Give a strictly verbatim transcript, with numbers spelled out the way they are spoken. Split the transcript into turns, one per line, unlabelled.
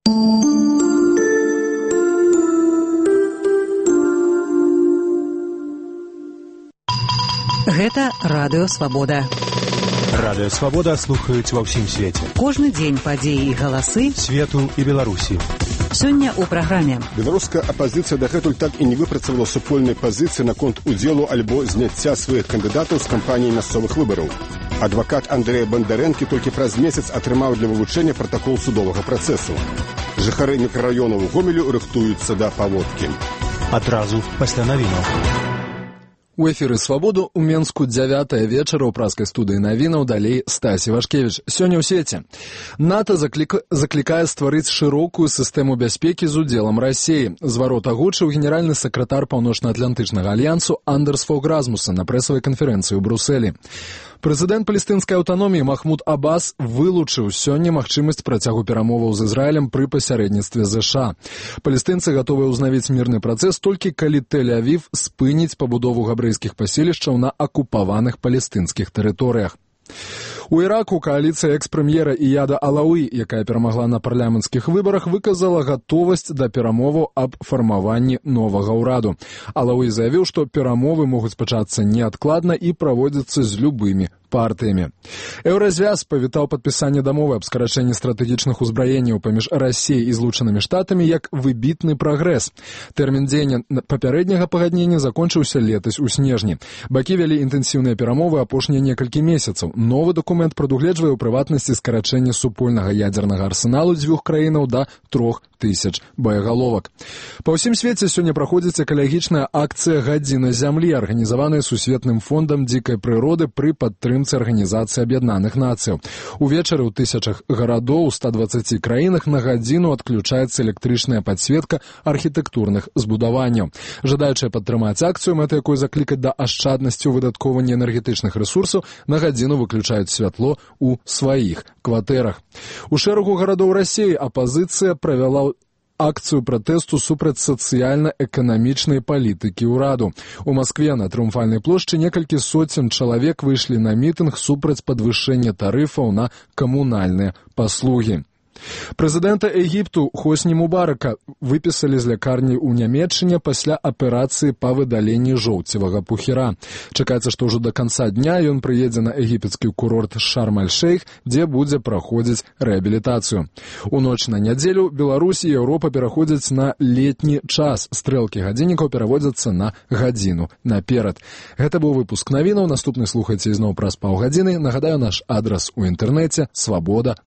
Гэта Радыё Свабода.
Радыё Свабода слухаюць ва ўсім свеце.
Кожны дзень падзеі і галасы
свету і Беларусі.
Сёння ў праграме.
Беларуская апазіцыя дагэтуль так і не выпрацавала супольнай пазіцыі наконт удзелу альбо зняцця сваіх кандыдатаў з кампаніі мясцовых выбараў. Адвакат Андрэя Бандарэнкі толькі праз месяц атрымаў для вывучэння пратакол судовага працэсу. Жыхары мікрараёнаў Гомелю рыхтуюцца да паводкі.
Адразу пасля навінаў.
У эфіры «Свабоду» у Менску дзявятая вечара ў праскай студыі навінаў, далей Стасі Вашкевіч. Сёння ў свеце. НАТО заклік... заклікае стварыць шырокую сістэму бяспекі з удзелам Расіі. Зварот агучыў генеральны сакратар Паўночна-Атлантычнага альянсу Андерс Фог Расмуссен на прэсавай канферэнцыі ў Брусэлі. Прэзідэнт палестынскай аўтаноміі Махмуд Аббас вылучыў сёння магчымасць працягу перамоваў з Ізраілем пры пасярэдніцтве ЗША. Палестынцы гатовыя ўзнавіць мірны працэс толькі калі Тель-Авів спыніць пабудову габрэйскіх паселішчаў на акупаваных палестынскіх тэрыторыях. У Іраку кааліцыя экс-прэм'ера Ияда Алауі, якая перамагла на парламенцкіх выбарах, выказала гатовасць да перамоваў аб фармаванні новага ўраду. Алауі заявіў, што перамовы могуць пачацца неадкладна і праводзіцца з любымі партыямі. Еўразвяз павітаў падпісанне дамовы аб скарачэнні стратэгічных узбраенняў паміж Расіяй і Злучанымі Штатамі як выбітны прагрэс. Тэрмін дзеяння папярэдняга пагаднення закончыўся летась у снежні. Бакі вялі інтэнсіўныя перамовы апошнія некалькі месяцаў. Новы дакумент прадугледжвае ў прыватнасці скарачэнне супольнага ядзернага арсеналу дзвюх краінаў да трох тысяч боегаловак. Па ўсім свеце сёння праходзіць экалагічная акцыя «Гадзіна зямлі», арганізаваная Сусветным фондам дзікай прыроды пры падтрымцы Арганізацыі Аб'яднаных Нацыяў. Увечары ў тысячах гарадоў у ста дваццаці краінах на гадзіну адключаецца электрычная падсветка архітэктурных збудаванняў. Жадаючыя падтрымаць акцыю, мэта якой заклікаць да ашчаднасці ў выдаткоўванні энергетычных рэсурсаў, на гадзіну выключаюць святло ў сваіх кватэрах. У шэрагу гарадоў Расіі апазіцыя правяла акцыю пратэсту супраць сацыяльна-эканамічнай палітыкі ўраду. У Маскве на Трыумфальнай плошчы некалькі соцень чалавек выйшлі на мітынг супраць падвышэння тарыфаў на камунальныя паслугі. Прэзідэнта Егіпту Хосні Мубарака выпісалі з лякарні ў Нямецчыне пасля аперацыі па выдаленні жоўцевага пухіра. Чакаецца, што ўжо да канца дня ён прыедзе на егіпецкі курорт Шарм-аль-Шейх, дзе будзе праходзіць рэабілітацыю. У ноч на нядзелю Беларусь і Еўропа пераходзяць на летні час. Стрэлкі гадзіннікаў пераводзяцца на гадзіну наперад. Гэта быў выпуск навінаў. Наступны слухайце ізноў праз паўгадзіны. Нагадаю, наш адрас у інтэрнэце свабода